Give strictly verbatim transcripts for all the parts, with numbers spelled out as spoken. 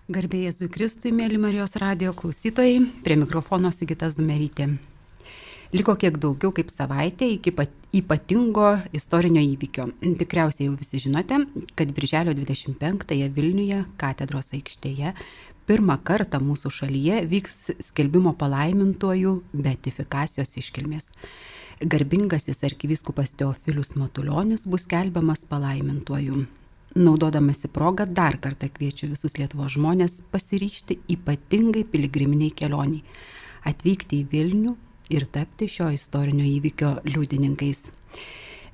Garbė Jėzui Kristui, mėly Marijos radijo klausytojai, prie mikrofono Sigita Zumerytė. Liko kiek daugiau kaip savaitė iki ypatingo istorinio įvykio. Tikriausiai jau visi žinote, kad birželio dvidešimt penktąją Vilniuje, katedros aikštėje, pirmą kartą mūsų šalyje vyks skelbimo palaimintuojų beatifikacijos iškilmės. Garbingasis arkivyskupas Teofilius Matulionis bus skelbiamas palaimintuoju. Naudodamasi progą dar kartą kviečiu visus Lietuvos žmonės pasiryžti ypatingai piligriminiai kelioniai, atvykti į Vilnių ir tapti šio istorinio įvykio liudininkais.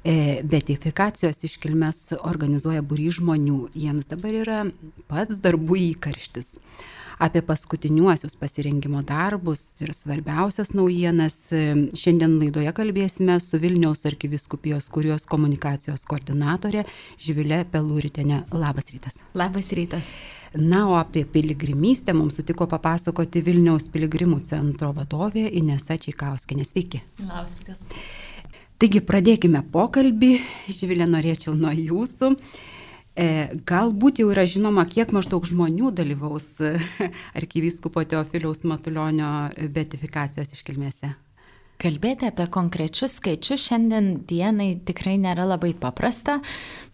Beatifikacijos iškilmes organizuoja būrys žmonių, jiems dabar yra pats darbų įkarštis. Apie paskutiniuosius pasirengimo darbus ir svarbiausias naujienas šiandien laidoje kalbėsime su Vilniaus arkivyskupijos kurijos komunikacijos koordinatorė Živilė Peluritienė. Labas rytas. Labas rytas. Na, o apie piligrimystę mums sutiko papasakoti Vilniaus piligrimų centro vadovė Inesa Čeikauskienė. Sveiki. Labas rytas. Taigi pradėkime pokalbį. Živilė, norėčiau nuo jūsų. Galbūt jau yra žinoma, kiek maždaug žmonių dalyvaus arkivyskupo Teofiliaus Matulionio beatifikacijos iškilmėse? Kalbėti apie konkrečius skaičius šiandien dienai tikrai nėra labai paprasta.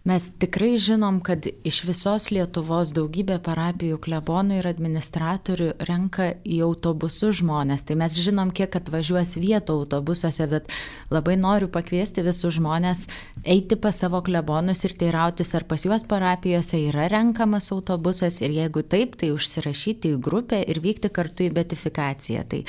Mes tikrai žinom, kad iš visos Lietuvos daugybė parapijų klebonų ir administratorių renka į autobusus žmonės. Tai mes žinom, kiek atvažiuos vietų autobusuose, bet labai noriu pakviesti visus žmonės eiti pas savo klebonus ir teirautis, ar pas juos parapijose yra renkamas autobusas ir jeigu taip, tai užsirašyti į grupę ir vykti kartu į beatifikaciją. Tai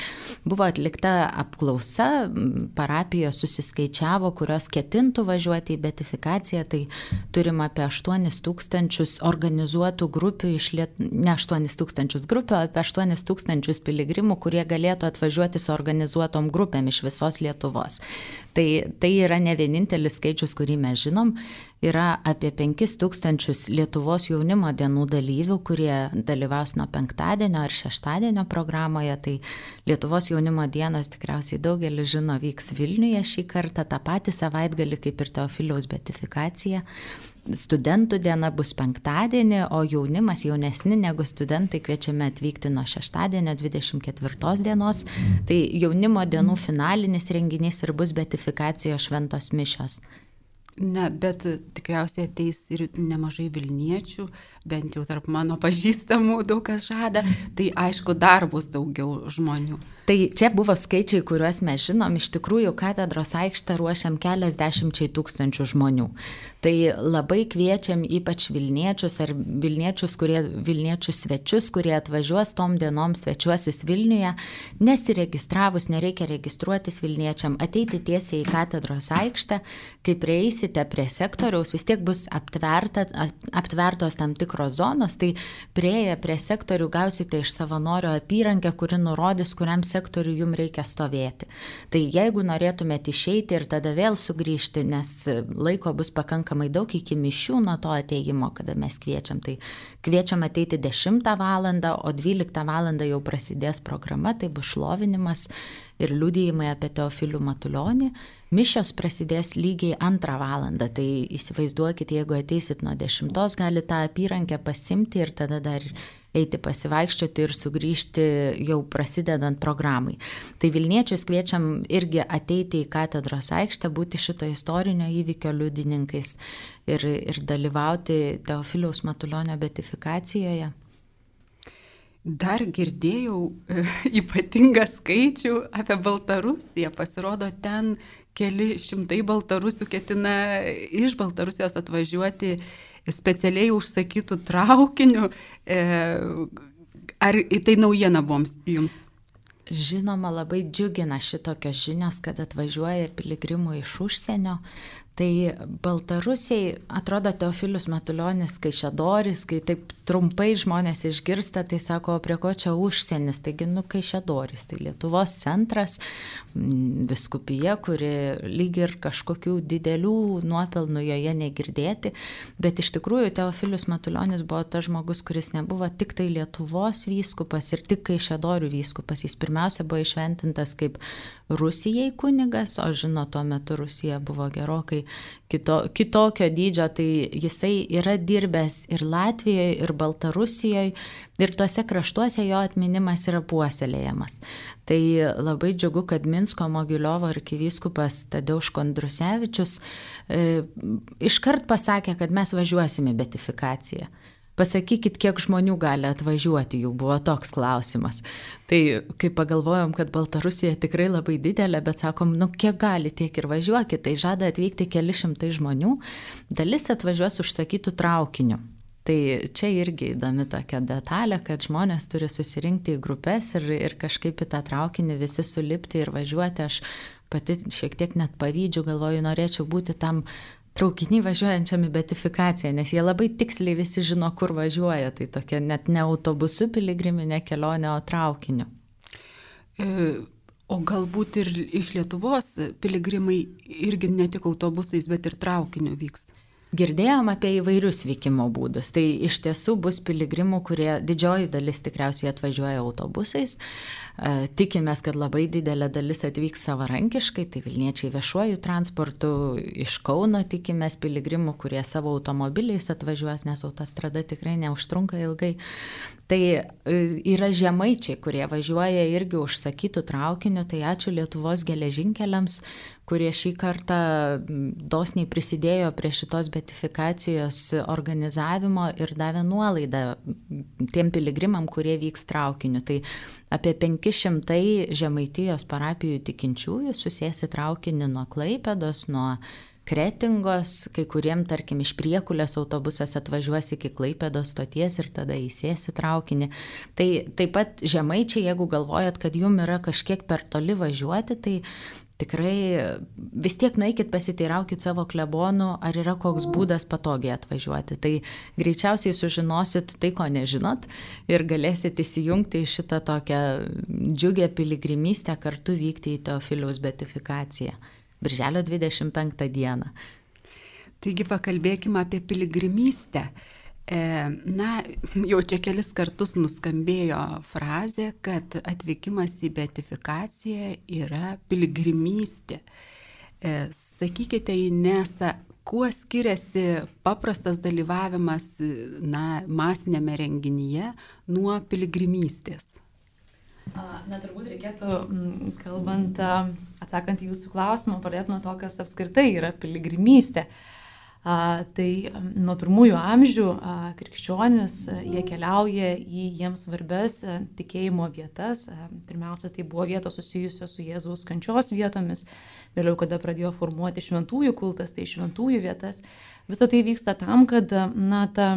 buvo atlikta apklausa, parapijos susiskaičiavo, kurios ketintų važiuoti į beatifikaciją, tai turim apie aštuonis tūkstančius organizuotų grupių, iš Liet... ne aštuonis tūkstančius grupių, apie aštuonis tūkstančius piligrimų, kurie galėtų atvažiuoti su organizuotom grupėm iš visos Lietuvos. Tai, tai yra ne vienintelis skaičius, kurį mes žinom, yra apie penkis tūkstančius Lietuvos jaunimo dienų dalyvių, kurie dalyvaus nuo penktadienio ar šeštadienio programoje. Tai Lietuvos jaunimo dienos tikriausiai daugelis žino vyks Vilniuje šį kartą, tą patį savaitgalį kaip ir Teofiliaus beatifikacija. Studentų diena bus penktadienį, o jaunimas jaunesni negu studentai kviečiame atvykti nuo šeštadienio dvidešimt ketvirtos dienos. Tai jaunimo dienų finalinis renginys ir bus beatifikacijos šventos mišios. Na, bet tikriausiai ateis ir nemažai vilniečių, bent jau tarp mano pažįstamų daug kas žada, tai aišku dar bus daugiau žmonių. Tai čia buvo skaičiai, kuriuos mes žinom, iš tikrųjų katedros aikštę ruošiam keliasdešimčiai tūkstančių žmonių. Tai labai kviečiam ypač Vilniečius ar Vilniečius, kurie, Vilniečius svečius, kurie atvažiuos tom dienom svečiuosis Vilniuje, nesiregistravus, nereikia registruotis Vilniečiam, ateiti tiesiai į katedros aikštę, kai prieisite prie sektoriaus, vis tiek bus aptverta, aptvertos tam tikros zonos, tai prieėję prie sektorių gausite iš savanorio apyrankę, kuri nurodys, kuriam sektorių jums reikia stovėti. Tai jeigu norėtumėte išeiti ir tada vėl sugrįžti, nes laiko bus pakankamai daug iki mišių nuo to ateimo, kada mes kviečiam, tai kviečiam ateiti dešimtą valandą, o dvyliktą valandą jau prasidės programa, tai bus šlovinimas ir liudijimai apie Teofilių Matulionį. Mišios prasidės lygiai antrą valandą, tai įsivaizduokit, jeigu ateisit nuo dešimtos, gali tą apyrankę pasimti ir tada dar eiti pasivaikščioti ir sugrįžti jau prasidedant programai. Tai Vilniečius kviečiam irgi ateiti į katedros aikštę, būti šito istorinio įvykio liudininkais ir, ir dalyvauti Teofiliaus Matulionio beatifikacijoje. Dar girdėjau e, ypatingą skaičių apie Baltarusiją. Pasirodo, ten keli šimtai baltarusių ketina iš Baltarusijos atvažiuoti specialiai užsakytų traukinių. E, ar tai naujiena buvo jums? Žinoma, labai džiugina šitokios žinios, kad atvažiuoja piligrimų iš užsienio. Tai Baltarusiai, atrodo, Teofilius Matulionis Kaišiadoris, kai taip trumpai žmonės išgirsta, tai sako, prie ko čia užsienis, taigi, nu, Kaišiadoris, tai Lietuvos centras, viskupija, kuri lyg ir kažkokių didelių nuopelnų joje negirdėti, bet iš tikrųjų Teofilius Matulionis buvo tas žmogus, kuris nebuvo tik tai Lietuvos vyskupas ir tik Kaišiadorių vyskupas, jis pirmiausia buvo išventintas kaip Rusijai kunigas, o žino, tuo metu Rusija buvo gerokai kito, kitokio dydžio, tai jisai yra dirbęs ir Latvijoje, ir Baltarusijoje, ir tuose kraštuose jo atminimas yra puoselėjamas. Tai labai džiugu, kad Minsko Mogiliovo arkivyskupas Tadeuš Kondrusevičius e, iškart pasakė, kad mes važiuosime į beatifikaciją. Pasakykit, kiek žmonių gali atvažiuoti, jų buvo toks klausimas. Tai kai pagalvojom, kad Baltarusija tikrai labai didelė, bet sakom, nu kiek gali, tiek ir važiuokit, tai žada atvykti keli šimtai žmonių, dalis atvažiuos užsakytų traukiniu. Tai čia irgi įdomi tokia detalė, kad žmonės turi susirinkti į grupės ir, ir kažkaip į tą traukinį visi sulipti ir važiuoti. Aš pati šiek tiek net pavydžiu, galvoju, norėčiau būti tam traukiniai važiuojančiam į beatifikaciją, nes jie labai tiksliai visi žino, kur važiuoja. Tai tokia net ne autobusu piligriminė kelionė, o traukiniu. E, o galbūt ir iš Lietuvos piligrimai irgi ne tik autobusais, bet ir traukiniu vyks? Girdėjom apie įvairius vykimo būdus. Tai iš tiesų bus piligrimų, kurie didžioji dalis tikriausiai atvažiuoja autobusais. Tikimės, kad labai didelė dalis atvyks savarankiškai, tai Vilniečiai viešuoju transportu. Iš Kauno tikimės piligrimų, kurie savo automobiliais atvažiuos, nes autostrada tikrai neužtrunka ilgai. Tai yra žemaičiai, kurie važiuoja irgi užsakytų traukiniu, tai ačiū Lietuvos geležinkeliams, kurie šį kartą dosniai prisidėjo prie šitos beatifikacijos organizavimo ir davė nuolaidą tiem piligrimam, kurie vyks traukiniu. Tai apie penki šimtai Žemaitijos parapijų tikinčiųjų susės į traukinį nuo Klaipėdos, nuo Kretingos, kai kuriem, tarkim, iš Priekulės autobusas atvažiuos iki Klaipėdos stoties ir tada įsės į traukinį. Tai taip pat žemaičiai, jeigu galvojat, kad jum yra kažkiek per toli važiuoti, tai tikrai vis tiek nueikit pasiteiraukit savo klebonų, ar yra koks būdas patogiai atvažiuoti. Tai greičiausiai sužinosit tai, ko nežinot, ir galėsit įsijungti į šitą tokią džiugę piligrimystę, kartu vykti į Teofiliaus beatifikaciją. Birželio dvidešimt penktą dieną. Taigi pakalbėkime apie piligrimystę. E, na, jau čia kelis kartus nuskambėjo frazė, kad atvykimas į beatifikaciją yra piligrimystė. E, sakykite, Inesa, kuo skiriasi paprastas dalyvavimas na, masinėme renginyje nuo piligrimystės? Na, turbūt reikėtų, kalbant, atsakant į jūsų klausimą, pradėti nuo to, kas apskritai yra piligrimystė. Tai nuo pirmųjų amžių krikščionis, jie keliauja į jiems svarbias tikėjimo vietas. Pirmiausia, tai buvo vietos susijusios su Jėzaus kančios vietomis. Vėliau, kada pradėjo formuoti šventųjų kultas, tai šventųjų vietas. Visą tai vyksta tam, kad na, ta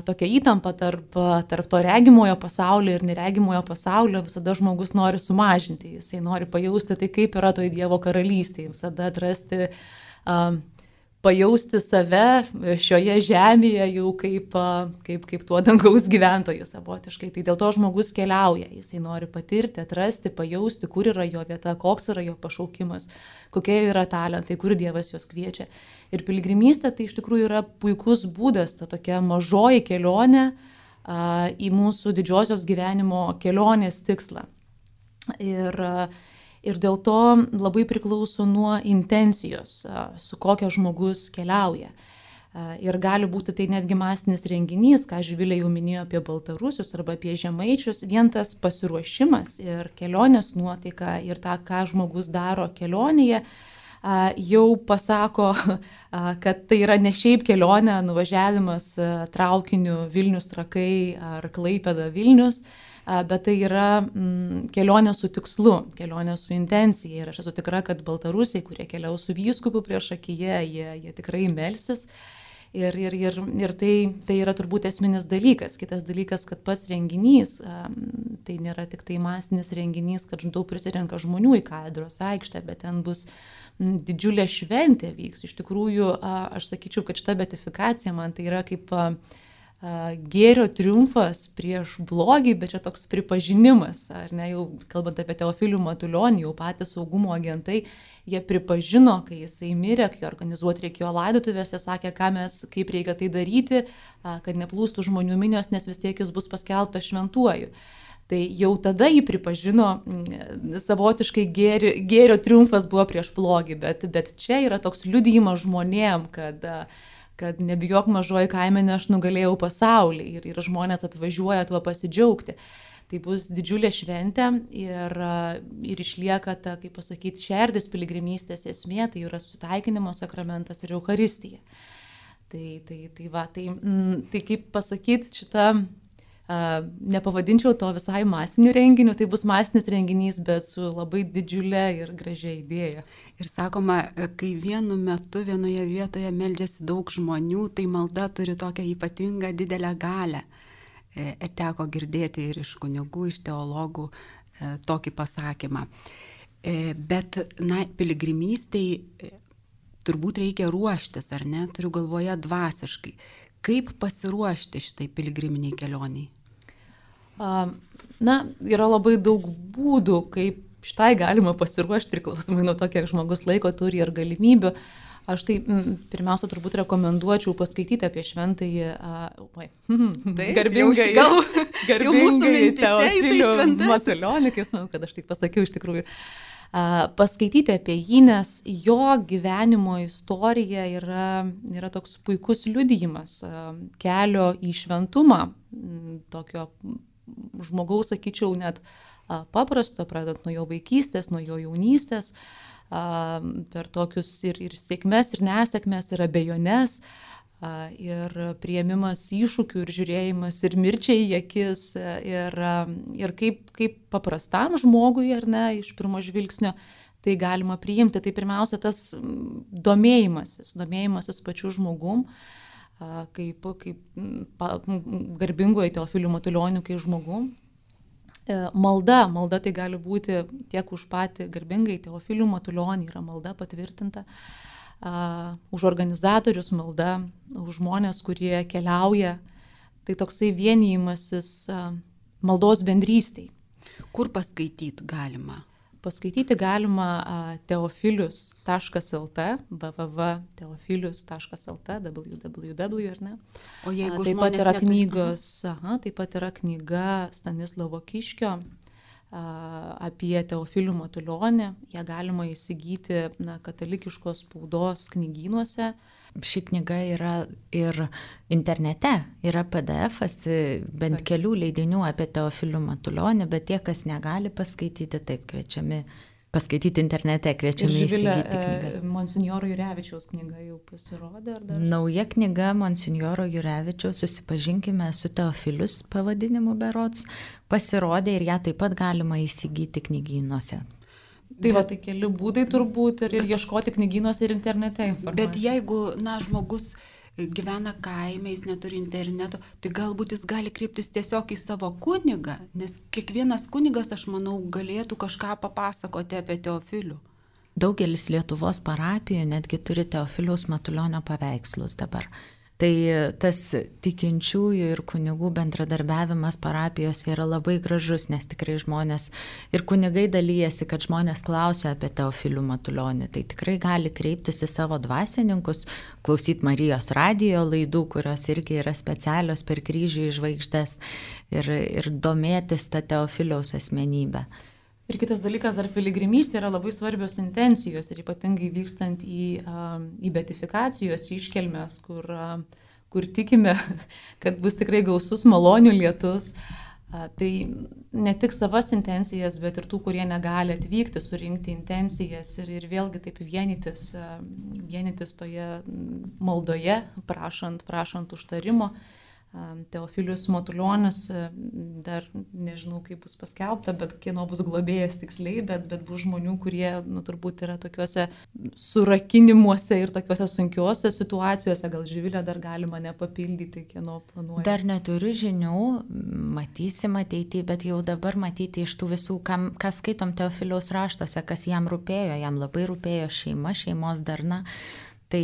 tokia įtampa tarp, tarp to regimojo pasaulio ir neregimojo pasaulio visada žmogus nori sumažinti. Jisai nori pajausti tai, kaip yra toj Dievo karalystėje, visada atrasti, uh, pajausti save šioje žemėje jau kaip, uh, kaip, kaip tuo dangaus gyventojų savotiškai. Tai dėl to žmogus keliauja, jisai nori patirti, atrasti, pajausti, kur yra jo vieta, koks yra jo pašaukimas, kokie yra talentai, kur Dievas juos kviečia. Ir piligrimystė tai iš tikrųjų yra puikus būdas, ta tokia mažoji kelionė a, į mūsų didžiosios gyvenimo kelionės tikslą. Ir, a, ir dėl to labai priklauso nuo intencijos, a, su kokia žmogus keliauja. A, ir gali būti tai netgi masinis renginys, ką Živilė jau minėjo apie baltarusius arba apie žemaičius, vien tas pasiruošimas ir kelionės nuotaika ir tą, ką žmogus daro kelionėje, jau pasako, kad tai yra ne šiaip kelionė, nuvažiavimas traukiniu Vilnius Trakai ar Klaipėda Vilnius, bet tai yra kelionė su tikslu, kelionė su intencija. Ir aš esu tikra, kad baltarusiai, kurie keliaus su vyskupu prieš akiją, jie, jie tikrai melsis. Ir, ir, ir, ir tai, tai yra turbūt esminis dalykas. Kitas dalykas, kad pats renginys, tai nėra tik tai masinis renginys, kad daug prisirenka žmonių į katedros aikštę, bet ten bus didžiulė šventė vyks. Iš tikrųjų, aš sakyčiau, kad šita beatifikacija man tai yra kaip gėrio triumfas prieš blogį, bet čia toks pripažinimas, ar ne, jau kalbant apie Teofilių Matulionį, jau patys saugumo agentai, jie pripažino, kai jisai mirė, kai organizuoti reikėjo laidotuvės, jie sakė, ką mes, kaip reikia tai daryti, kad neplūstų žmonių minios, nes vis tiek jis bus paskelbtas šventuoju. Tai jau tada jį pripažino, savotiškai gėri, gėrio triumfas buvo prieš blogį, bet, bet čia yra toks liudijimas žmonėm, kad, kad nebijok mažoji kaimenė, aš nugalėjau pasaulį ir, ir žmonės atvažiuoja tuo pasidžiaugti. Tai bus didžiulė šventė ir, ir išlieka ta, kaip pasakyti, šerdis piligrimystės esmė, tai yra sutaikinimo sakramentas ir Eucharistija. Tai, tai, tai, va, tai, tai kaip pasakyti, šitą Uh, nepavadinčiau to visai masiniu renginiu, tai bus masinis renginys, bet su labai didžiulė ir gražia idėja. Ir sakoma, kai vienu metu vienoje vietoje meldžiasi daug žmonių, tai malda turi tokią ypatingą didelę galę. E, teko girdėti ir iš kunigų, iš teologų e, tokį pasakymą. E, bet, na, piligrimystei e, turbūt reikia ruoštis, ar ne? Turiu galvoje dvasiškai. Kaip pasiruošti šitai piligriminiai kelioniai? Na, yra labai daug būdų, kaip šitai galima pasiruošti, priklausomai nuo to, kiek žmogus laiko turi ir galimybių. Aš tai pirmiausia turbūt rekomenduočiau paskaityti apie šventąjį, oi, garbingai, gal, garbingai Teofilių Matulionį, kai žinau, kad aš tai pasakiau iš tikrųjų. Paskaityti apie jį, nes jo gyvenimo istorija yra, yra toks puikus liudijimas kelio į šventumą, tokio žmogaus, sakyčiau, net paprasto, pradant nuo jo vaikystės, nuo jo jaunystės, per tokius ir, ir sėkmes, ir nesėkmes, ir abejones, ir priėmimas iššūkių, ir žiūrėjimas, ir mirčiai į akis, ir, ir kaip, kaip paprastam žmogui, ar ne, iš pirmo žvilgsnio, tai galima priimti. Tai pirmiausia, tas domėjimasis, domėjimasis pačiu žmogum, kaip, kaip garbingojo Teofiliu Matulioniu, kaip žmogum. Malda, malda tai gali būti tiek už patį garbingai Teofilių Matulionį, yra malda patvirtinta, uh, už organizatorius malda, už žmonės, kurie keliauja, tai toksai vienijimasis uh, maldos bendrystėj. Kur paskaityti galima? Paskaityti galima uh, teofilius taškas lt, w w w taškas teofilius taškas lt, w w w, ar ne? O jeigu uh, taip pat yra neturi... knygos, aha, taip pat yra knyga Stanislovo Kiškio uh, apie Teofilių Matulionį. Ją galima įsigyti na, katalikiškos spaudos knygynuose. Ši knyga yra ir internete, yra P D F-as, bent kelių leidinių apie Teofilių Matulionį, bet tie, kas negali paskaityti, taip kviečiami paskaityti internete, kviečiami įsigyti knygas. Monsinjoro Jurevičiaus knyga jau pasirodė, ar dar? Nauja knyga Monsinjoro Jurevičiaus, Susipažinkime su Teofilius pavadinimu berods, pasirodė ir ją taip pat galima įsigyti knygynuose. Tai va, tai keli būdai turbūt ir, ir ieškoti knygynuose ir internete informacijos. Bet jeigu, na, žmogus gyvena kaime, jis neturi interneto, tai galbūt jis gali kreiptis tiesiog į savo kunigą, nes kiekvienas kunigas, aš manau, galėtų kažką papasakoti apie Teofilių. Daugelis Lietuvos parapijų netgi turi Teofiliaus Matulionio paveikslus dabar. Tai tas tikinčiųjų ir kunigų bendradarbiavimas parapijose yra labai gražus, nes tikrai žmonės ir kunigai dalyjasi, kad žmonės klausia apie Teofilių Matulionį. Tai tikrai gali kreiptis į savo dvasininkus, klausyti Marijos radijo laidų, kurios irgi yra specialios per kryžių į žvaigždes ir, ir domėtis tą Teofiliaus asmenybę. Ir kitas dalykas, dar piligrimystė yra labai svarbios intencijos ir ypatingai vykstant į, į beatifikacijos iškelmes, kur, kur tikime, kad bus tikrai gausus malonių lietus. Tai ne tik savas intencijas, bet ir tų, kurie negali atvykti, surinkti intencijas ir, ir vėlgi taip vienytis, vienytis toje maldoje, prašant, prašant užtarimo. Teofilius Matulionis, dar nežinau, kaip bus paskelbta, bet kieno bus globėjas tiksliai, bet, bet bus žmonių, kurie nu, turbūt yra tokiuose surakinimuose ir tokiuose sunkiuose situacijose. Gal Živilė dar galima nepapildyti, kieno planuoja. Dar neturiu žinių, matysim ateityje, bet jau dabar matyti iš tų visų, kam, kas skaitom Teofiliaus raštuose, kas jam rūpėjo, jam labai rūpėjo šeima, šeimos darna. Tai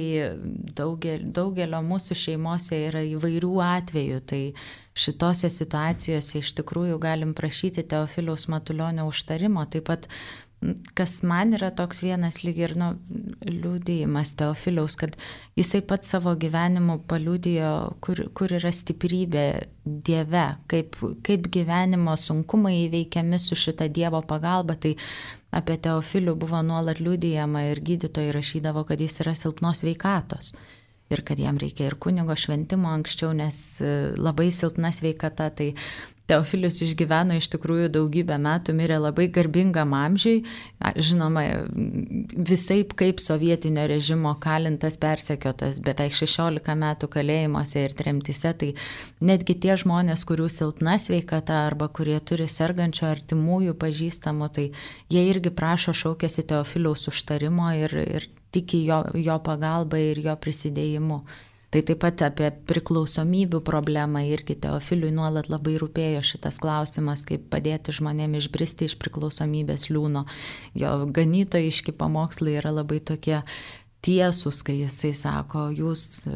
daugel, daugelio mūsų šeimose yra įvairių atvejų, tai šitose situacijose iš tikrųjų galim prašyti Teofiliaus Matulionio užtarimo, taip pat kas man yra toks vienas lyg ir nu, liudijimas Teofiliaus, kad jisai pats savo gyvenimu paliudijo, kur, kur yra stiprybė Dieve, kaip, kaip gyvenimo sunkumai įveikiami su šita Dievo pagalba. Tai apie Teofilių buvo nuolat liudijama ir gydytojai rašydavo, kad jis yra silpnos sveikatos. Ir kad jam reikia ir kunigo šventimo anksčiau, nes labai silpna sveikata. Tai Teofilius išgyveno iš tikrųjų daugybę metų, mirė labai garbingam amžiui. Žinoma, visaip kaip sovietinio režimo kalintas, persekiotas, beveik šešiolika metų kalėjimuose ir tremtise. Tai netgi tie žmonės, kurių silpna sveikata arba kurie turi sergančio artimųjų pažįstamų, tai jie irgi prašo, šaukėsi Teofiliaus užtarimo ir, ir tiki jo, jo pagalba ir jo prisidėjimu. Tai taip pat apie priklausomybių problemą irgi Teofiliui nuolat labai rūpėjo šitas klausimas, kaip padėti žmonėm išbristi iš priklausomybės liūno. Jo ganytojiški pamokslai yra labai tokie tiesūs, kai jisai sako, jūs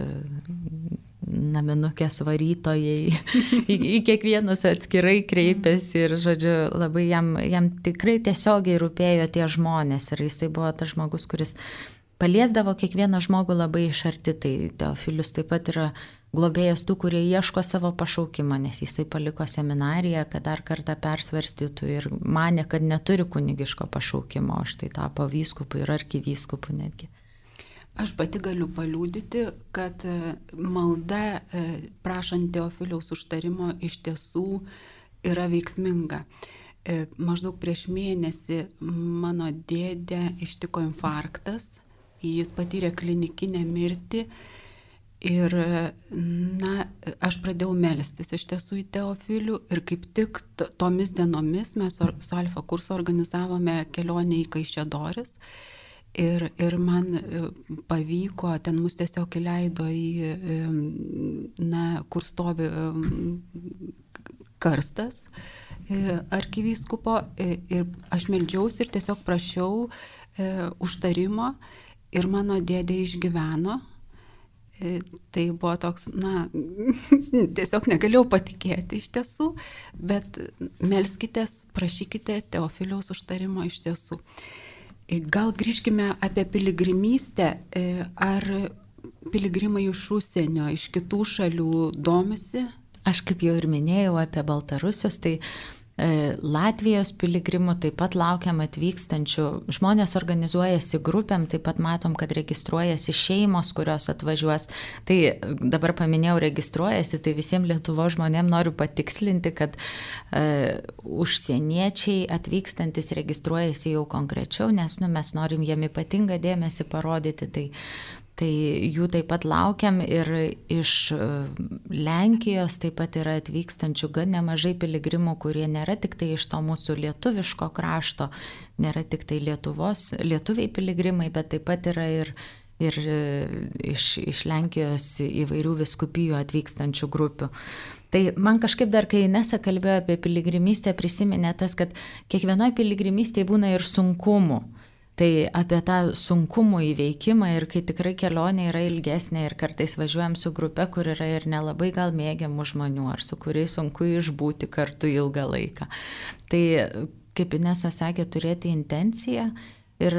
naminukės varytojai į, į kiekvienus atskirai kreipiasi ir, žodžiu, labai jam, jam tikrai tiesiogiai rūpėjo tie žmonės ir jisai buvo tas žmogus, kuris paliesdavo kiekvieną žmogų labai iš arti. Tai Teofilius taip pat yra globėjas tų, kurie ieško savo pašaukimo, nes jisai paliko seminariją, kad dar kartą persvarstytų ir manė, kad neturi kunigiško pašaukimo, o štai tapo vyskupu ir arkivyskupu netgi. Aš pati galiu paliudyti, kad malda prašant Teofiliaus užtarimo iš tiesų yra veiksminga. Maždaug prieš mėnesį mano dėdę ištiko infarktas. Jis patyrė klinikinę mirtį ir, na, aš pradėjau melstis iš tiesų į Teofilių ir kaip tik tomis dienomis mes su Alfa kursu organizavome kelionę į Kaišiadoris ir, ir man pavyko, ten mus tiesiog įleido į, na, kur stovi karstas arkivyskupo ir aš meldžiausi ir tiesiog prašiau užtarimo. Ir mano dėdė išgyveno, tai buvo toks, na, tiesiog negalėjau patikėti iš tiesų, bet melskitės, prašykite Teofiliaus užtarimo iš tiesų. Gal grįžkime apie piligrimystę, ar piligrimai iš užsienio, iš kitų šalių domisi? Aš kaip jau ir minėjau apie Baltarusius, tai Latvijos piligrimų taip pat laukiam atvykstančių. Žmonės organizuojasi grupėm, taip pat matom, kad registruojasi šeimos, kurios atvažiuos. Tai dabar paminėjau registruojasi, tai visiems Lietuvos žmonėm noriu patikslinti, kad e, užsieniečiai atvykstantis registruojasi jau konkrečiau, nes nu, mes norim jiem ypatingą dėmesį parodyti. Tai Tai jų taip pat laukiam ir iš Lenkijos taip pat yra atvykstančių gan nemažai piligrimų, kurie nėra tik tai iš to mūsų lietuviško krašto, nėra tik tai Lietuvos, lietuviai piligrimai, bet taip pat yra ir, ir iš, iš Lenkijos įvairių vyskupijų atvykstančių grupių. Tai man kažkaip dar, kai Inesa kalbėjo apie piligrimystę, prisiminė tas, kad kiekvienoj piligrimystėje būna ir sunkumų. Tai apie tą sunkumų įveikimą ir kai tikrai kelionė yra ilgesnė ir kartais važiuojam su grupe, kur yra ir nelabai gal mėgiamų žmonių, ar su kuriais sunku išbūti kartu ilgą laiką. Tai, kaip Inesa sakė, turėti intenciją ir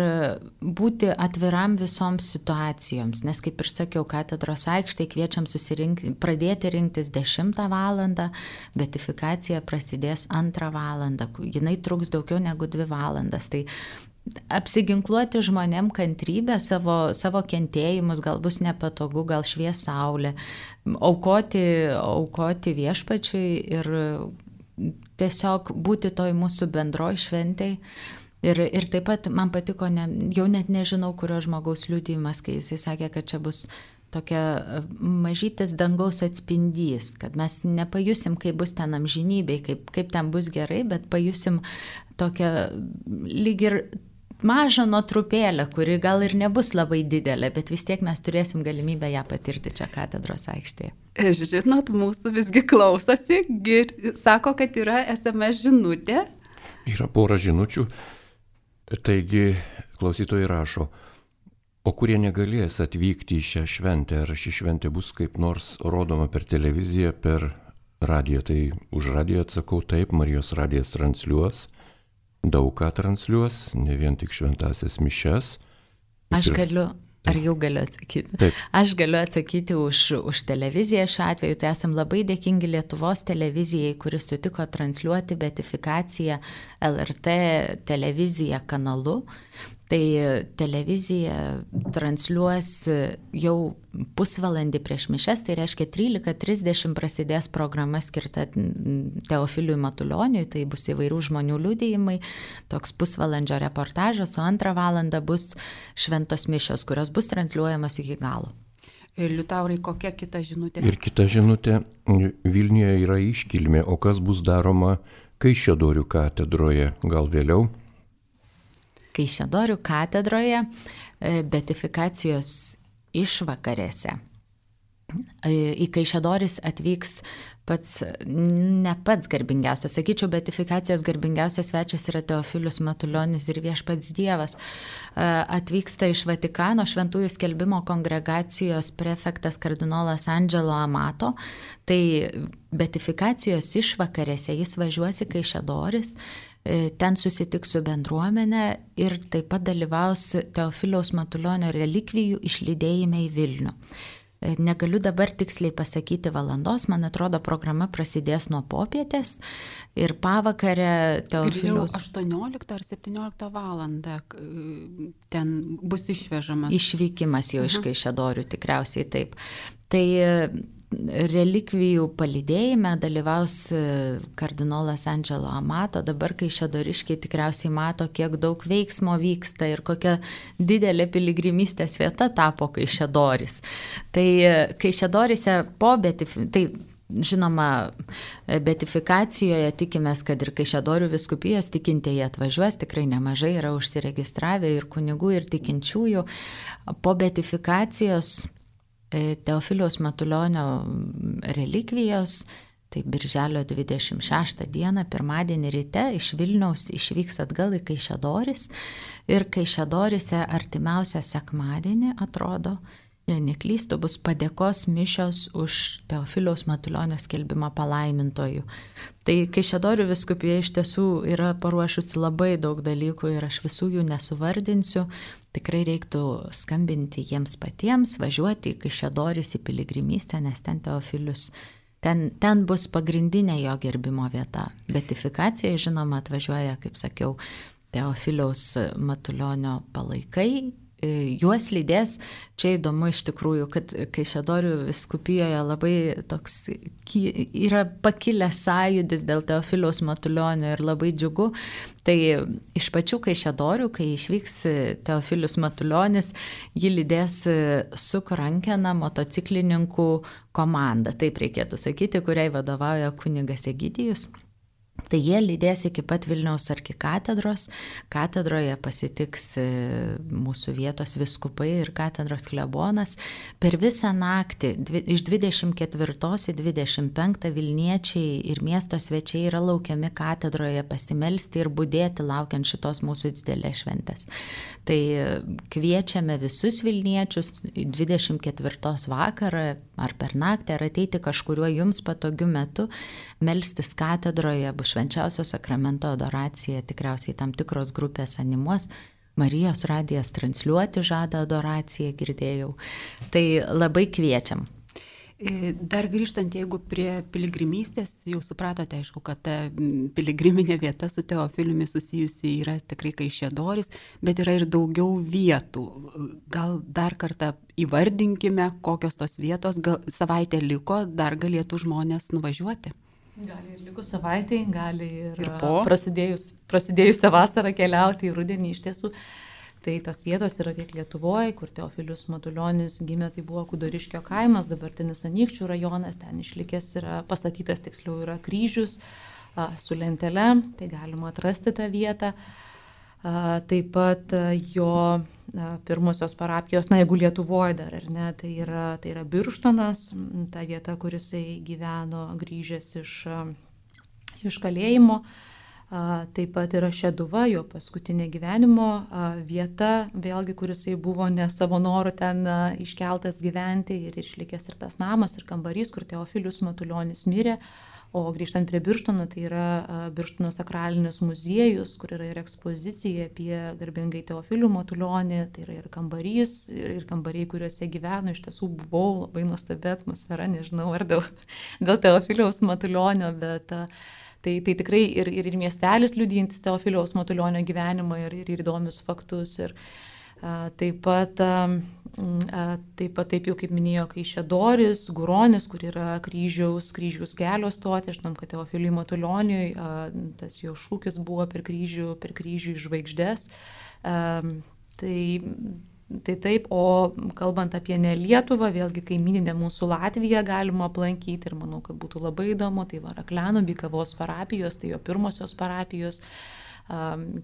būti atviram visoms situacijoms, nes kaip ir sakiau, katedros aikštėje kviečiam susirinkti, pradėti rinktis dešimtą valandą, beatifikacija prasidės antrą valandą, jinai truks daugiau negu dvi valandas. Tai apsiginkluoti žmonėm kantrybę, savo, savo kentėjimus, gal bus nepatogu, gal švies saulė, aukoti, aukoti viešpačiui ir tiesiog būti toj mūsų bendroj šventėj. Ir, ir taip pat man patiko, ne, jau net nežinau, kurio žmogaus liudijimas, kai jisai sakė, kad čia bus tokia mažytis dangaus atspindys, kad mes nepajusim, kaip bus ten amžinybėj, kaip, kaip ten bus gerai, bet pajusim tokią lyg ir mažą nuotrupėlę, kuri gal ir nebus labai didelė, bet vis tiek mes turėsim galimybę ją patirti čia katedros aikštėje. Žinot, mūsų visgi klausosi, gir, sako, kad yra es em es žinutė. Yra pora žinučių, taigi klausytojai rašo, o kurie negalės atvykti į šią šventę, ar ši šventė bus kaip nors rodoma per televiziją, per radiją, tai už radiją atsakau taip, Marijos radijas transliuos. daug ką transliuos, ne vien tik šventasias mišias. Aš galiu, ar jau galiu atsakyti? Taip. Aš galiu atsakyti už, už televiziją šiuo atveju. Tai esam labai dėkingi Lietuvos televizijai, kuris sutiko transliuoti beatifikaciją L R T televiziją kanalu. Tai televizija transliuos jau pusvalandį prieš mišias, tai reiškia trylika trisdešimt prasidės programa skirta Teofiliui Matulioniui, tai bus įvairių žmonių liudijimai, toks pusvalandžio reportažas, o antrą valandą bus šventos mišios, kurios bus transliuojamos iki galo. Ir Liutaurai, kokia kita žinutė? Ir kita žinutė, Vilniuje yra iškilmė, o kas bus daroma Kaišiadorių katedroje, gal vėliau? Kaišiadorių katedroje beatifikacijos išvakarėse. Į Kaišiadoris atvyks pats, ne pats garbingiausias, sakyčiau, beatifikacijos garbingiausias svečias yra Teofilius Matulionis ir Viešpats Dievas. Atvyksta iš Vatikano šventųjų skelbimo kongregacijos prefektas kardinolas Angelo Amato. Tai beatifikacijos išvakarėse jis važiuos į Kaišiadoris, ten susitiks su bendruomenė ir taip pat dalyvaus Teofiliaus Matulionio relikvijų išlydėjime į Vilnių. Negaliu dabar tiksliai pasakyti valandos, man atrodo, programa prasidės nuo popietės ir pavakarę Teofiliaus... aštuonioliktą ar septynioliktą valandą ten bus išvežamas. Išvykimas jau iš Kaišiadorių, tikriausiai taip. Tai relikvijų palydėjime dalyvaus kardinolas Angelo Amato. Dabar Kaišiadoriškiai tikriausiai mato, kiek daug veiksmo vyksta ir kokia didelė piligrimystės vieta tapo Kaišiadoris. Tai Kaišiadorise po beatifikacijos, tai žinoma, beatifikacijoje tikimės, kad ir Kaišiadorių vyskupijos tikintieji atvažiuos, tikrai nemažai yra užsiregistravę ir kunigų, ir tikinčiųjų. Po beatifikacijos Teofiliaus Matulionio relikvijos, tai birželio dvidešimt šeštą dieną, pirmadienį ryte iš Vilniaus išvyks atgal į Kaišiadoris ir Kaišiadorise artimiausią sekmadienį, atrodo, jei neklystu, bus padėkos mišios už Teofiliaus Matulionio skelbimą palaimintojų. Tai Kaišiadorių vyskupija iš tiesų yra paruošusi labai daug dalykų ir aš visų jų nesuvardinsiu. Tikrai reiktų skambinti jiems patiems, važiuoti į Kaišiadoris į piligrimystę, nes ten Teofilius, ten, ten bus pagrindinė jo gerbimo vieta. Beatifikacijoje, žinoma, atvažiuoja, kaip sakiau, Teofiliaus Matulionio palaikai. Juos lydės, čia įdomu iš tikrųjų, kad Kaišiadorių vyskupijoje labai toks yra pakilęs sąjūdis dėl Teofiliaus Matulionio ir labai džiugu. Tai iš pačių Kaišiadorių, kai išvyks Teofilius Matulionis, jį lydės Suk rankena motociklininkų komanda, taip reikėtų sakyti, kuriai vadovauja kunigas Egidijus. Tai jie lydės iki pat Vilniaus arkikatedros, katedroje pasitiks mūsų vietos vyskupai ir katedros klebonas. Per visą naktį, iš dvidešimt ketvirtos į dvidešimt penktą Vilniečiai ir miesto svečiai yra laukiami katedroje pasimelsti ir budėti laukiant šitos mūsų didelės šventės. Tai kviečiame visus Vilniečius dvidešimt ketvirtos vakarą ar per naktį, ar ateiti kažkuriuo jums patogiu metu, melstis katedroje, bus švenčiausio sakramento adoracija, tikriausiai tam tikros grupės animuos. Marijos radijas transliuoti žada adoraciją, girdėjau. Tai labai kviečiam. Dar grįžtant, jeigu prie piligrimystės, jau supratote, aišku, kad ta piligriminė vieta su Teofiliumi susijusi yra tikrai Kaišiadoris, bet yra ir daugiau vietų. Gal dar kartą įvardinkime, kokios tos vietos, gal savaitę liko, dar galėtų žmonės nuvažiuoti. Gali ir likus savaitai, gali ir, ir po prasidėjus, prasidėjusią vasarą keliauti į rudenį iš tiesų. Tai tos vietos yra tiek Lietuvoje, kur Teofilius Matulionis gimė, tai buvo Kudoriškio kaimas, dabartinis Anykščių rajonas, ten išlikęs yra, pastatytas tiksliau yra kryžius a, su lentele, tai galima atrasti tą vietą. A, taip pat a, jo a, pirmosios parapijos, na jeigu Lietuvoje dar, ar ne, tai yra, tai yra Birštonas, ta vieta, kur jisai gyveno grįžęs iš, a, iš kalėjimo. Taip pat yra Šeduva, jo paskutinė gyvenimo vieta, vėlgi, kuris buvo ne savo noru ten iškeltas gyventi ir išlikęs ir tas namas, ir kambarys, kur Teofilius Matulionis mirė. O grįžtant prie Birštono, tai yra Birštono sakralinis muziejus, kur yra ir ekspozicija apie garbingai Teofilių Matulionį, tai yra ir kambarys, ir, ir kambariai, kuriuose gyveno, iš tiesų buvau labai nuostabi atmosfera, nežinau ar dėl, dėl Teofiliaus Matulionio, bet tai, tai tikrai ir, ir, ir miestelis liudijantis Teofiliaus Matulionio gyvenimą ir, ir, ir įdomius faktus. Ir, a, taip pat, a, taip pat, taip jau kaip minėjo, Kaišiadorys, Guronis, kur yra kryžiaus, kryžiaus kelio stotė, žinom, kad Teofiliui Matulioniui a, tas jo šūkis buvo per kryžių, per kryžių į žvaigždės. A, tai Tai taip, o kalbant apie ne Lietuvą, vėlgi kaimyninę mūsų Latviją galima aplankyti ir manau, kad būtų labai įdomu, tai va Raklianų Bykavos parapijos, tai jo pirmosios parapijos,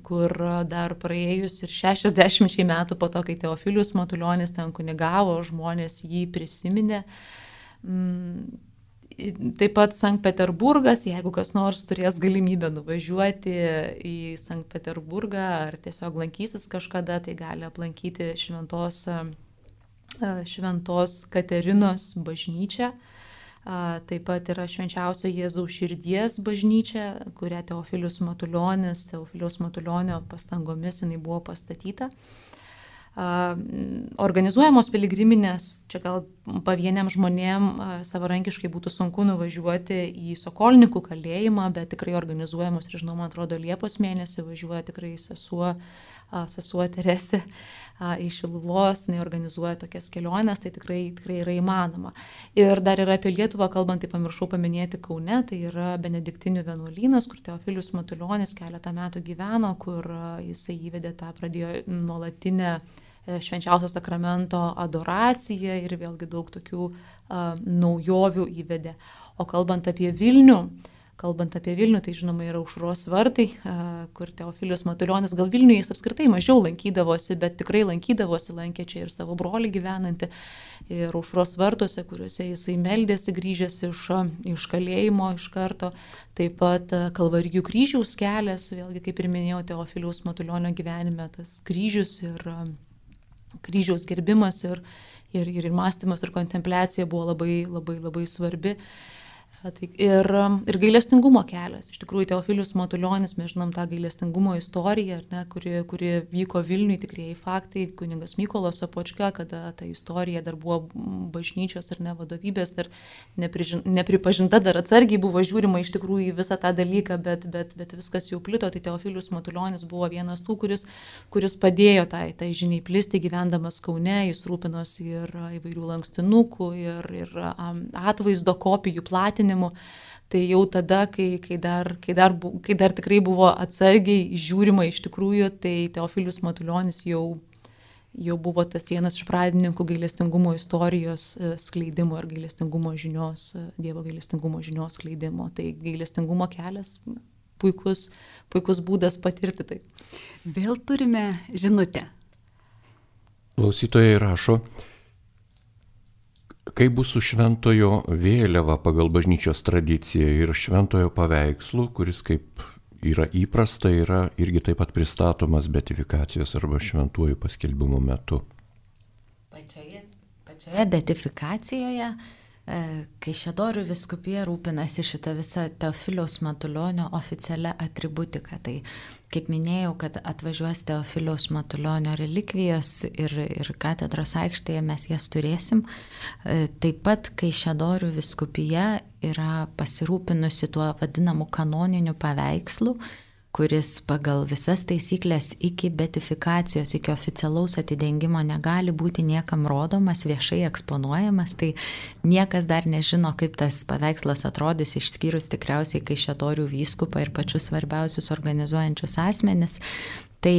kur dar praėjus ir šešiasdešimčiai metų po to, kai Teofilius Matulionis ten kunigavo, žmonės jį prisiminė. Taip pat Sankt Peterburgas, jeigu kas nors turės galimybę nuvažiuoti į Sankt Peterburgą ar tiesiog lankysis kažkada, tai gali aplankyti šventos, šventos Katerinos bažnyčią. Taip pat yra Švenčiausio Jėzaus širdies bažnyčia, kurią Teofilius Matulionis, Teofiliaus Matulionio pastangomis jinai buvo pastatyta. Organizuojamos piligriminės, čia gal pavieniam žmonėm savarankiškai būtų sunku nuvažiuoti į Sokolnikų kalėjimą, bet tikrai organizuojamos ir žinoma, atrodo, Liepos mėnesį važiuoja tikrai sesuo, sesuo Teresė iš Šiluvos, jinai organizuoja tokias keliones, tai tikrai, tikrai yra įmanoma. Ir dar yra apie Lietuvą, kalbant, tai pamiršau paminėti Kaune, tai yra Benediktinių vienuolynas, kur Teofilius Matulionis keletą metų gyveno, kur jisai įvedė tą, pradėjo nuolatinę švenčiausio sakramento adoraciją ir vėlgi daug tokių a, naujovių įvedė. O kalbant apie Vilnių, kalbant apie Vilnių, tai žinoma yra Aušros vartai, a, kur Teofilius Matulionis, gal Vilniuje jis apskritai mažiau lankydavosi, bet tikrai lankydavosi, lankė čia ir savo brolį gyvenantį, ir Aušros vartuose, kuriuose jisai meldėsi grįžęs iš, iš kalėjimo iš karto. Taip pat Kalvarijų kryžiaus kelias, vėlgi kaip ir minėjau, Teofiliaus Matulionio gyvenime tas kryžius ir kryžiaus gerbimas ir, ir, ir mąstymas ir kontempliacija buvo labai, labai, labai svarbi. Ir, ir gailestingumo kelias. Iš tikrųjų, Teofilius Matulionis, mes žinom tą gailestingumo istoriją, ne, kuri, kuri vyko Vilniui, tikrieji faktai, kunigas Mykolas Sopočka, kada ta istorija dar buvo bažnyčios ir ne vadovybės, dar nepripažinta, dar atsargiai buvo žiūrima iš tikrųjų į visą tą dalyką, bet, bet, bet viskas jau plito. Tai Teofilius Matulionis buvo vienas tų, kuris, kuris padėjo tai, tai žiniai plisti gyvendamas Kaune, jis rūpinosi ir įvairių lankstinukų, ir, ir atvaizdo kopijų platinimu. Tai jau tada, kai, kai, dar, kai, dar, kai dar tikrai buvo atsargiai žiūrima iš tikrųjų, tai Teofilius Matulionis jau, jau buvo tas vienas iš pradininkų gailestingumo istorijos skleidimo ir gailestingumo žinios, Dievo gailestingumo žinios skleidimo. Tai gailestingumo kelias puikus, puikus būdas patirti tai. Vėl turime žinutę. Klausytojai rašo, kaip bus su šventojo vėliava pagal bažnyčios tradiciją ir šventojo paveikslu, kuris kaip yra įprasta, yra irgi taip pat pristatomas beatifikacijos arba šventuoju paskelbimo metu. Pačioje, pačioje beatifikacijoje Kaišiadorių vyskupija rūpinasi šitą visą Teofiliaus Matulionio oficialią atributiką. Tai kaip minėjau, kad atvažiuos Teofiliaus Matulionio relikvijos ir, ir katedros aikštėje mes jas turėsim. Taip pat Kaišiadorių vyskupija yra pasirūpinusi tuo vadinamu kanoniniu paveikslu, kuris pagal visas taisyklės iki beatifikacijos, iki oficialaus atidengimo negali būti niekam rodomas, viešai eksponuojamas, tai niekas dar nežino, kaip tas paveikslas atrodys, išskyrus tikriausiai Kaišiadorių vyskupą ir pačius svarbiausius organizuojančius asmenis. Tai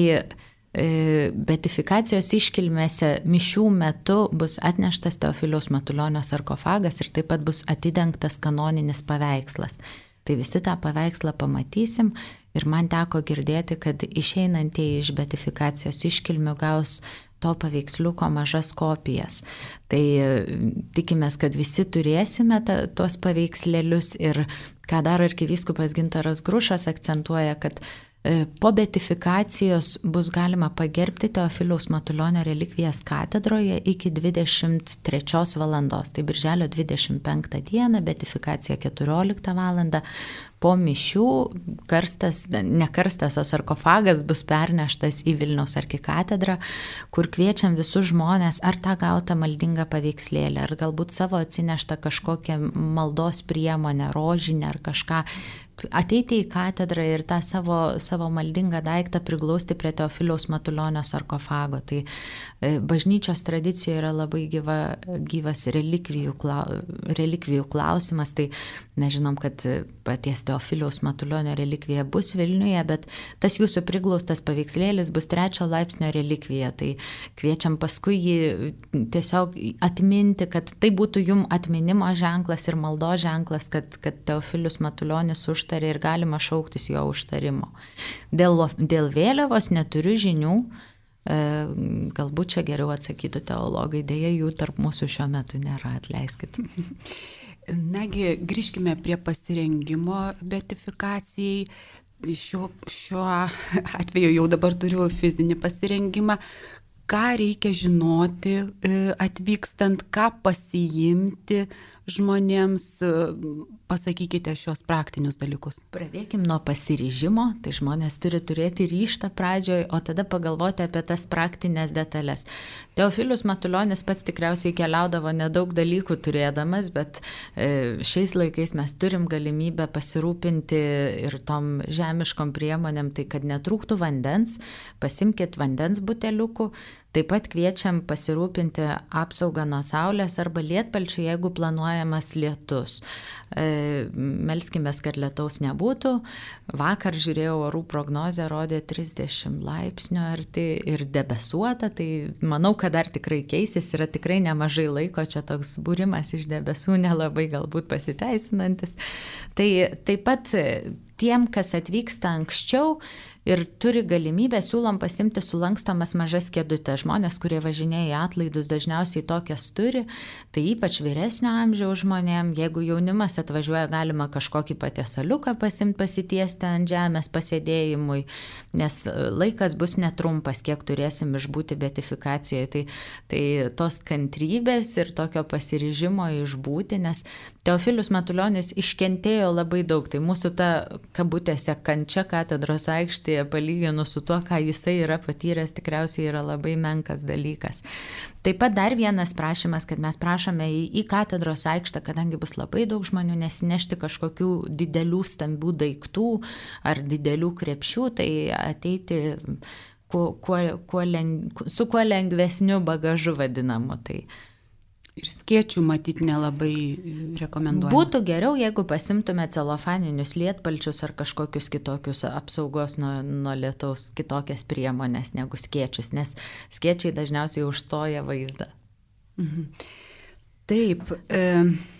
beatifikacijos iškilmėse mišių metu bus atneštas Teofiliaus Matulionio sarkofagas ir taip pat bus atidengtas kanoninis paveikslas. Tai visi tą paveikslą pamatysim ir man teko girdėti, kad išeinantieji iš beatifikacijos iškilmių gaus to paveiksliuko mažas kopijas. Tai tikimės, kad visi turėsime ta, tuos paveikslėlius ir ką daro arkivyskupas Gintaras Grušas, akcentuoja, kad po beatifikacijos bus galima pagerbti Teofiliaus Matulionio relikvijas katedroje iki dvidešimt trečios valandos. Tai birželio dvidešimt penktą dieną, beatifikacija keturioliktą valandą. Po mišių karstas, ne karstas, o sarkofagas bus perneštas į Vilniaus arkikatedrą, kur kviečiam visus žmonės ar tą gautą maldingą paveikslėlę, ar galbūt savo atsineštą kažkokią maldos priemonę, rožinę ar kažką, ateiti į katedrą ir tą savo, savo maldingą daiktą priglausti prie Teofiliaus Matulionio sarkofago. Tai bažnyčios tradicijoje yra labai gyva, gyvas relikvijų, relikvijų klausimas. Tai mes žinom, kad paties Teofiliaus Matulionio relikvija bus Vilniuje, bet tas jūsų priglaustas paveikslėlis bus trečio laipsnio relikvija. Tai kviečiam paskui jį tiesiog atminti, kad tai būtų jum atminimo ženklas ir maldos ženklas, kad, kad Teofilius Matulionis užtarė ir galima šauktis jo užtarimo. Dėl, dėl vėliavos neturiu žinių, e, galbūt čia geriau atsakytų teologai, dėja jų tarp mūsų šiuo metu nėra, atleiskit. Nagi, grįžkime prie pasirengimo beatifikacijai. Šiuo, šiuo atveju jau dabar turiu fizinį pasirengimą. Ką reikia žinoti atvykstant, ką pasiimti žmonėms, pasakykite šios praktinius dalykus. Pradėkim nuo pasiryžimo, tai žmonės turi turėti ryžtą pradžioj, o tada pagalvoti apie tas praktinės detalės. Teofilius Matulionis pats tikriausiai keliaudavo nedaug dalykų turėdamas, bet šiais laikais mes turim galimybę pasirūpinti ir tom žemiškom priemonėm, tai kad netrūktų vandens, pasimkit vandens buteliukų. Taip pat kviečiam pasirūpinti apsaugą nuo saulės arba lietpalčių, jeigu planuojamas lietus. E, melskimės, kad lietaus nebūtų. Vakar žiūrėjau orų prognozę, rodė trisdešimt laipsnių arti ir debesuota, tai manau, kad dar tikrai keisis, yra tikrai nemažai laiko, čia toks būrimas iš debesų nelabai galbūt pasiteisinantis. Tai taip pat tiem, kas atvyksta anksčiau ir turi galimybę, siūlom pasimti sulankstomas mažas kėdutės. Žmonės, kurie važinėja į atlaidus, dažniausiai tokias turi, tai ypač vyresnio amžiaus žmonėm. Jeigu jaunimas atvažiuoja, galima kažkokį patiesaliuką pasimti, pasitiesti ant žemės pasėdėjimui, nes laikas bus netrumpas, kiek turėsim išbūti beatifikacijoje. Tai, tai tos kantrybės ir tokio pasiryžimo išbūti, nes Teofilius Matulionis iškentėjo labai daug. Tai mūsų ta kabutėse kančia katedros aikštėje palyginus su tuo, ką jisai yra patyręs, tikriausiai yra labai menkas dalykas. Taip pat dar vienas prašymas, kad mes prašome į, į katedros aikštę, kadangi bus labai daug žmonių, nesinešti kažkokių didelių stambių daiktų ar didelių krepšių, tai ateiti kuo, kuo, kuo leng, su kuo lengvesniu bagažu vadinamu. Tai ir skėčių matyti nelabai rekomenduojama. Būtų geriau, jeigu pasimtume celofaninius lietpalčius ar kažkokius kitokius apsaugos nuo, nuo lietaus kitokias priemonės negu skėčius, nes skėčiai dažniausiai užstoja vaizdą. Mhm. Taip. E...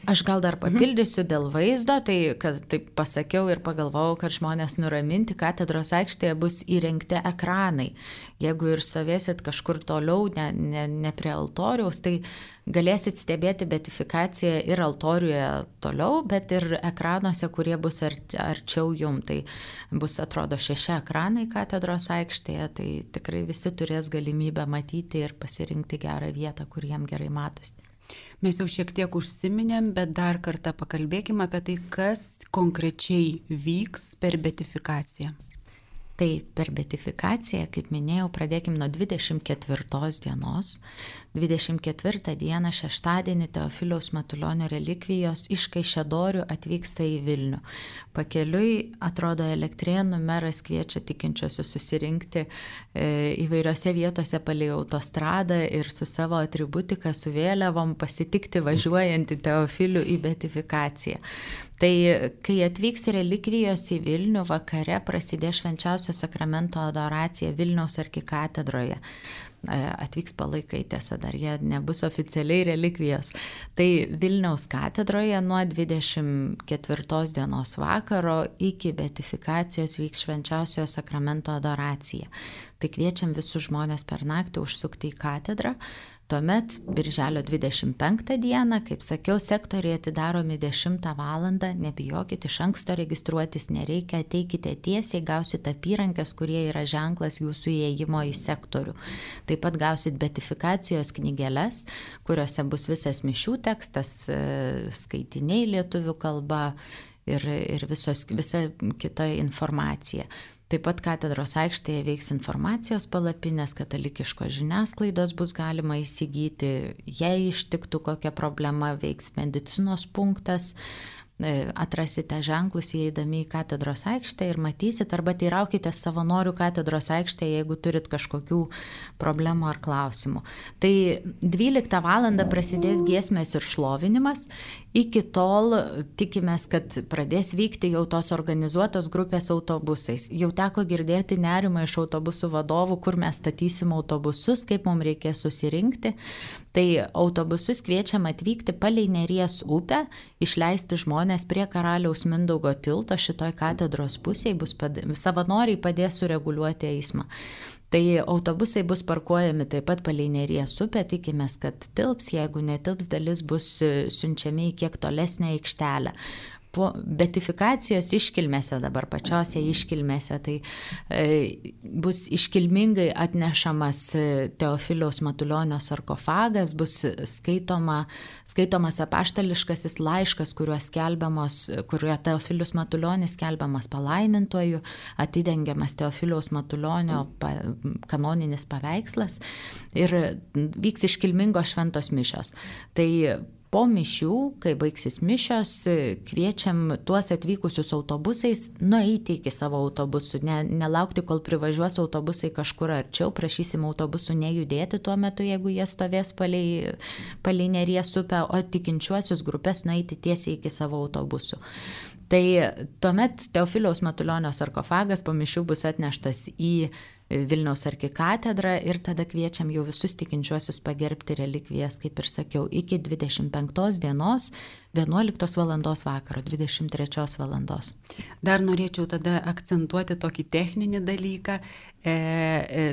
Aš gal dar papildysiu dėl vaizdo, tai kad taip pasakiau ir pagalvojau, kad žmonės nuraminti, katedros aikštėje bus įrengti ekranai. Jeigu ir stovėsit kažkur toliau, ne, ne, ne prie altoriaus, tai galėsit stebėti beatifikaciją ir altoriuje toliau, bet ir ekranuose, kurie bus arčiau jum. Tai bus, atrodo, šeši ekranai katedros aikštėje, tai tikrai visi turės galimybę matyti ir pasirinkti gerą vietą, kur jiem gerai matosi. Mes jau šiek tiek užsiminėm, bet dar kartą pakalbėkime apie tai, kas konkrečiai vyks per beatifikaciją. Tai per beatifikaciją, kaip minėjau, pradėkim nuo dvidešimt ketvirtos dienos. dvidešimt ketvirtą dieną, šeštadienį, Teofiliaus Matulionio relikvijos iš Kaišiadorių atvyksta į Vilnių. Pakeliui, atrodo, Elektrėnų meras kviečia tikinčiosius susirinkti e, įvairiose vietose palei autostradą ir su savo atributika, su vėliavom pasitikti važiuojantį Teofilių į beatifikaciją. Tai kai atvyks relikvijos į Vilnių, vakare prasidės švenčiausio sakramento adoracija Vilniaus arkikatedroje. atvyks palaikai, tiesa, dar jie nebus oficialiai relikvijos. Tai Vilniaus katedroje nuo dvidešimt ketvirtos dienos vakaro iki beatifikacijos vyks švenčiausiojo sakramento adoracija. Tai kviečiam visus žmonės per naktį užsukti į katedrą. Tuomet birželio dvidešimt penktą dieną, kaip sakiau, sektoriai atidaromi dešimtą valandą, nebijokit, iš anksto registruotis nereikia, ateikite tiesiai, gausit apyrankės, kurie yra ženklas jūsų įėjimo į sektorių. Taip pat gausit beatifikacijos knygeles, kuriuose bus visas mišių tekstas, skaitiniai lietuvių kalba ir, ir visos, visa kita informacija. Taip pat katedros aikštėje veiks informacijos palapinės, katalikiškos žiniasklaidos bus galima įsigyti, jei ištiktų kokia problema, veiks medicinos punktas, atrasite ženklus įeidami į katedros aikštę ir matysit, arba teiraukite savanorių katedros aikštėje, jeigu turit kažkokių problemų ar klausimų. Tai dvyliktą valandą prasidės giesmės ir šlovinimas. Iki tol tikimės, kad pradės vykti jau tos organizuotos grupės autobusais. Jau teko girdėti nerimą iš autobusų vadovų, kur mes statysim autobusus, kaip mums reikės susirinkti. Tai autobusus kviečiam atvykti palei Neries upę, išleisti žmonės prie Karaliaus Mindaugo tilto, šitoj katedros pusėje bus pad... savanoriai padės sureguliuoti eismą. Tai autobusai bus parkuojami taip pat palei Neries upę, tikimės, kad tilps, jeigu netilps, dalis bus siunčiami į kiek tolesnę aikštelę. Po beatifikacijos iškilmėse, dabar pačiose iškilmėse, tai e, bus iškilmingai atnešamas Teofiliaus Matulionio sarkofagas, bus skaitoma, skaitomas apaštališkasis laiškas, kuriuo skelbiamos, kuriuo Teofilius Matulionis skelbiamas palaimintuoju, atidengiamas Teofiliaus Matulionio pa, kanoninis paveikslas ir vyks iškilmingos šventos mišios. Tai po mišių, kai baigsis mišios, kviečiam tuos atvykusius autobusais nueiti iki savo autobusų, ne, nelaukti, kol privažiuos autobusai kažkur arčiau, prašysim autobusų nejudėti tuo metu, jeigu jie stovės palei, palei Neries upę, o tikinčiuosius grupės nueiti tiesiai iki savo autobusų. Tai tuomet Teofiliaus Matulionio sarkofagas po mišių bus atneštas į Vilniaus arkikatedrą ir tada kviečiam jau visus tikinčiuosius pagerbti relikvijas, kaip ir sakiau, iki dvidešimt penktos dienos, vienuoliktos valandos vakaro, dvidešimt trečios valandos. Dar norėčiau tada akcentuoti tokį techninį dalyką. E, e,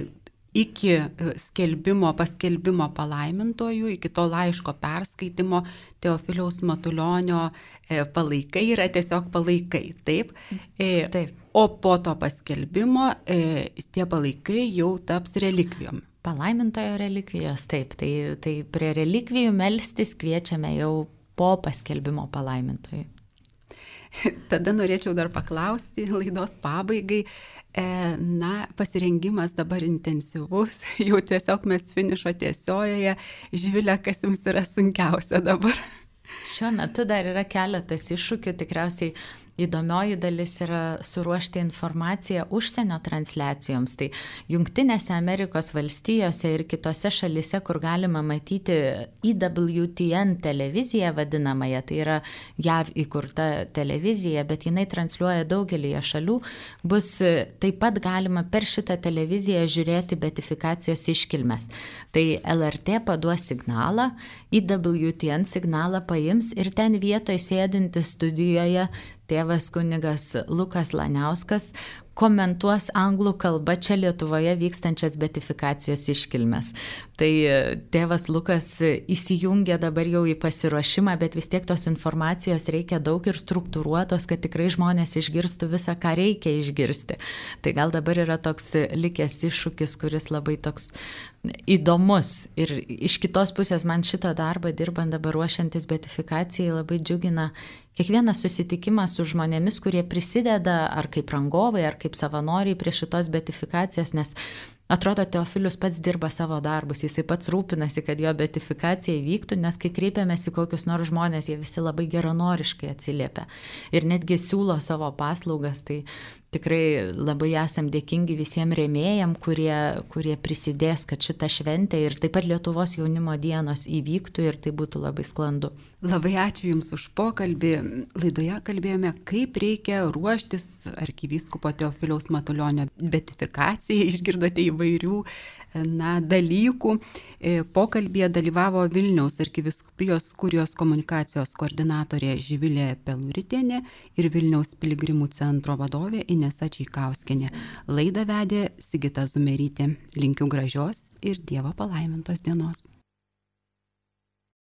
Iki skelbimo, paskelbimo palaimintojų, iki to laiško perskaitimo Teofiliaus Matulionio palaikai yra tiesiog palaikai, taip? Taip. O po to paskelbimo tie palaikai jau taps relikvijom. Palaimintojo relikvijos, taip. Tai, tai prie relikvijų melstis kviečiame jau po paskelbimo palaimintojų. Tada norėčiau dar paklausti laidos pabaigai. Na, pasirengimas dabar intensyvus, jau tiesiog mes finišo tiesiojoje. Živilė, kas jums yra sunkiausia dabar? Šiuo metu dar yra keletas iššūkių, tikriausiai įdomioji dalis yra suruošti informaciją užsienio transliacijoms. Tai Jungtinėse Amerikos valstijose ir kitose šalise, kur galima matyti E W T N televiziją vadinamąją, tai yra J A V įkurta televizija, bet jinai transliuoja daugelįje šalių, bus taip pat galima per šitą televiziją žiūrėti beatifikacijos iškilmes. Tai L R T paduos signalą, E W T N signalą paims ir ten vietoje sėdintis studijoje tėvas kunigas Lukas Laniauskas komentuos anglų kalba čia Lietuvoje vykstančias beatifikacijos iškilmes. Tai tėvas Lukas įsijungia dabar jau į pasiruošimą, bet vis tiek tos informacijos reikia daug ir struktūruotos, kad tikrai žmonės išgirstų visą, ką reikia išgirsti. Tai gal dabar yra toks likęs iššūkis, kuris labai toks įdomus. Ir iš kitos pusės man šitą darbą dirbant dabar ruošiantis beatifikacijai labai džiugina kiekvienas susitikimas su žmonėmis, kurie prisideda ar kaip rangovai, ar kaip savanoriai prie šitos beatifikacijos, nes atrodo, Teofilius pats dirba savo darbus, jisai pats rūpinasi, kad jo beatifikacija įvyktų, nes kai kreipiamės į kokius nors žmonės, jie visi labai geranoriškai atsiliepia ir netgi siūlo savo paslaugas. Tai tikrai labai esam dėkingi visiems rėmėjam, kurie, kurie prisidės, kad šita šventė ir taip pat Lietuvos jaunimo dienos įvyktų ir tai būtų labai sklandu. Labai ačiū Jums už pokalbį. Laidoje kalbėjome, kaip reikia ruoštis arkivyskupo Teofiliaus Matulionio beatifikacijai. Išgirdote įvairių įvairių na, dalykų. Pokalbėje dalyvavo Vilniaus arkivyskupijos kurijos komunikacijos koordinatorė Živilė Peluritienė ir Vilniaus piligrimų centro vadovė Inesa Čeikauskienė. Laidą vedė Sigita Zumerytė. Linkiu gražios ir Dievo palaimintos dienos.